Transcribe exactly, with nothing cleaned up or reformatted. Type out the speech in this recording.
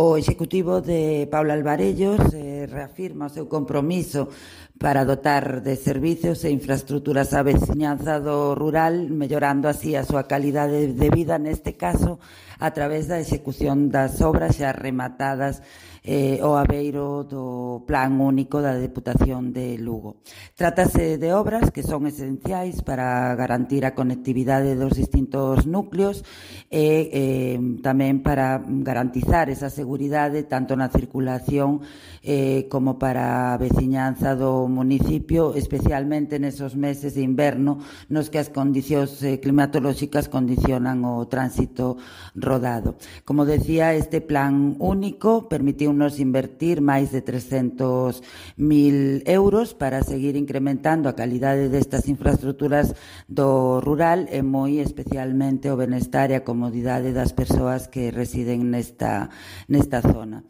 O Executivo de Paula Alvarellos eh, reafirma o seu compromiso para dotar de servicios e infraestruturas á veciñanza do rural, mellorando así a súa calidade de vida, neste caso, a través da execución das obras xa rematadas eh, ao abeiro do Plan Único da Deputación de Lugo. Trátase de obras que son esenciais para garantir a conectividade dos distintos núcleos e eh, tamén para garantizar esa seguridade tanto na circulación eh, como para a veciñanza do municipio, especialmente nesos meses de inverno nos que as condicións eh, climatolóxicas condicionan o tránsito rodado. Como decía, este plan único permitiu nos invertir máis de trescentos mil euros para seguir incrementando a calidade destas infraestruturas do rural e moi especialmente o benestar e a comodidade das persoas que residen nesta, nesta zona.